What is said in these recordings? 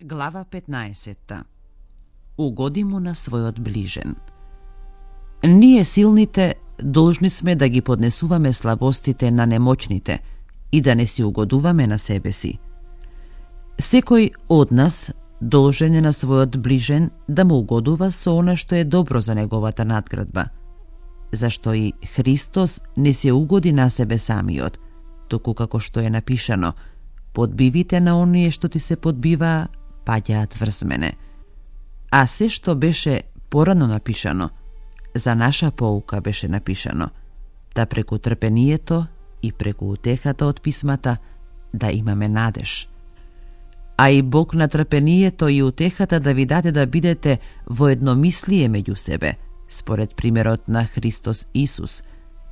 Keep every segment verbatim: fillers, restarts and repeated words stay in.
Глава петнаесетта. Угоди му на својот ближен. Ние силните должни сме да ги поднесуваме слабостите на немоćните и да не си угодуваме на себе си. Секој од нас должен е на својот ближен да му угодува со она што е добро за неговата надградба. Зашто и Христос не се угоди на себе самиот, току како што е напишано: подбивите на оние што ти се подбиваа, паѓаат врз мене. А се што беше порано напишано, за наша поука беше напишано, да преку трпението и преку утехата од писмата да имаме надеж. А и Бог на трпението и утехата да ви даде да бидете во едномислие меѓу себе, според примерот на Христос Исус,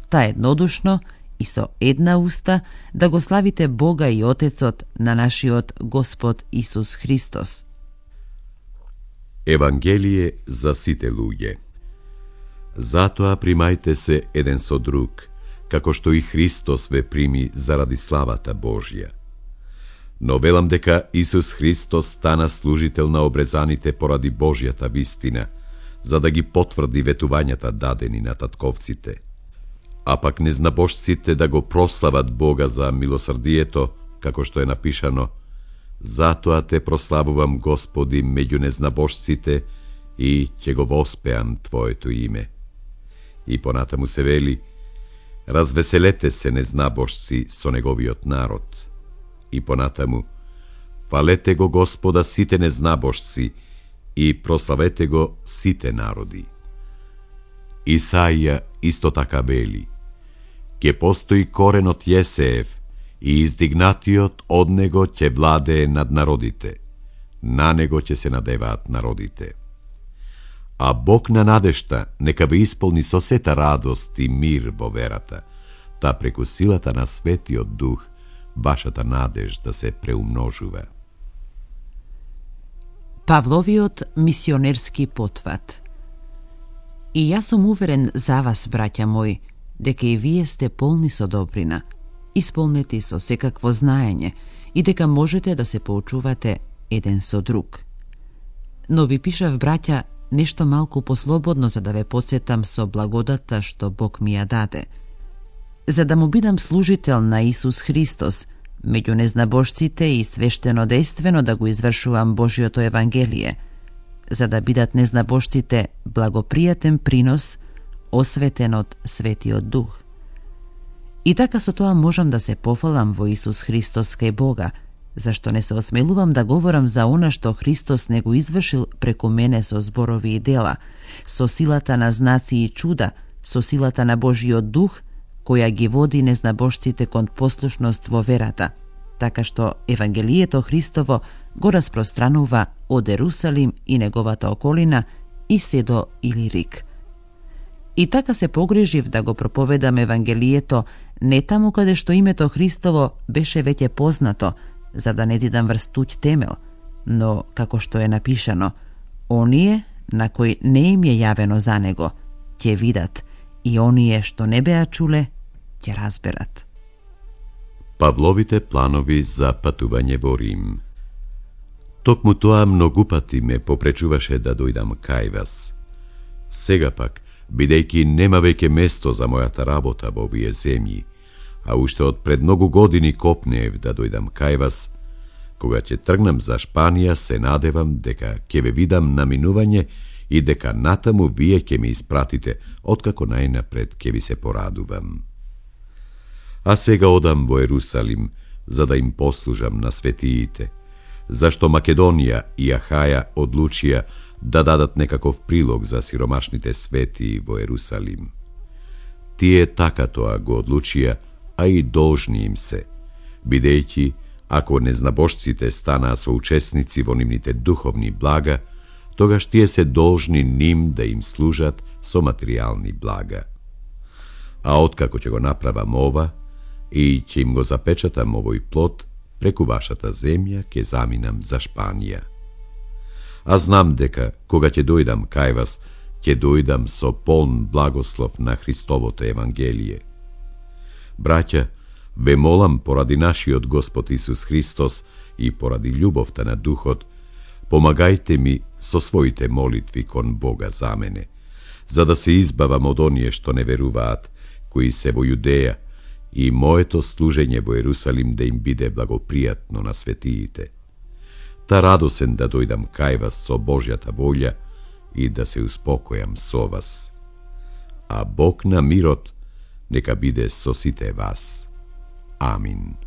та еднодушно и со една уста да го славите Бога и Отецот на нашиот Господ Исус Христос. Евангелие за сите луѓе. Затоа примајте се еден со друг, како што и Христос ве прими заради славата Божја. Но велам дека Исус Христос стана служител на обрезаните поради Божјата вистина, за да ги потврди ветувањата дадени на татковците. А пак незнабожците да го прослават Бога за милосрдието, како што е напишано: затоа те прославувам, Господи, меѓу незнабожците и ќе го воспеам Твоето име. И понатаму се вели: развеселете се, незнабожци, со неговиот народ. И понатаму: фалете го Господа сите незнабожци и прославете го сите народи. Исаија исто така вели: ќе постои корен од Јесеев и издигнатиот од него ќе владее над народите, на него ќе се надеваат народите. А Бог на надежта нека ве исполни со сета радост и мир во верата, та преку силата на Светиот Дух вашата надежда се преумножува. Павловиот мисионерски потват. И јас сум уверен за вас, браќа мои, дека и вие сте полни со добрина, исполнети со секакво знаење и дека можете да се поучувате еден со друг. Но ви пишав, браќа, нешто малку послободно за да ве подсетам со благодата што Бог ми ја даде. За да му бидам служител на Исус Христос, меѓу незнабожците и свештено-дејствено да го извршувам Божјото Евангелие, за да бидат незнабожците благопријатен принос, осветен од Светиот Дух. И така со тоа можам да се пофалам во Исус Христос кај Бога, зашто не се осмелувам да говорам за она што Христос не го извршил преку мене со зборови и дела, со силата на знаци и чуда, со силата на Божиот Дух, која ги води незнабожците кон послушност во верата, така што Евангелието Христово го распространува од Ерусалим и неговата околина и се до Илирик. И така се погрижив да го проповедам Евангелието не таму каде што името Христово беше веќе познато, за да не зидам врз туѓ темел, но, како што е напишано, оние на кои не им е јавено за него, ќе видат, и оние што не беа чуле, ќе разберат. Павловите планови за патување во Рим. Токму тоа многу пати ме попречуваше да дојдам кај вас. Сега пак, бидејќи нема веќе место за мојата работа во овие земји, а уште од пред многу години копнеев да дојдам кај вас, кога ќе тргнам за Шпанија, се надевам дека ќе ве видам на минување и дека натаму вие ќе ме испратите, откако најнапред ќе ви се порадувам. А сега одам во Ерусалим, за да им послужам на светиите, зашто Македонија и Ахаја одлучија да дадат некаков прилог за сиромашните светии во Ерусалим. Тие така тоа го одлучија, а и должни им се, бидејќи, ако незнабожците станаа соучесници во нивните духовни блага, тогаш тие се должни ним да им служат со материјални блага. А откако ќе го направам ова, и ќе им го запечатам овој плод, преку вашата земја ќе заминам за Шпанија. А знам дека, кога ќе дојдам кај вас, ќе дојдам со полн благослов на Христовото Евангелие. Браќа, ве молам поради нашиот Господ Исус Христос и поради љубовта на Духот, помагајте ми со своите молитви кон Бога за мене, за да се избавам од оние што не веруваат, кои се во Јудеја, и моето служење во Ерусалим да им биде благопријатно на светиите. Та радосен да дојдам кај вас со Божјата волја и да се успокојам со вас. А Бог на мирот нека биде со сите вас. Амин.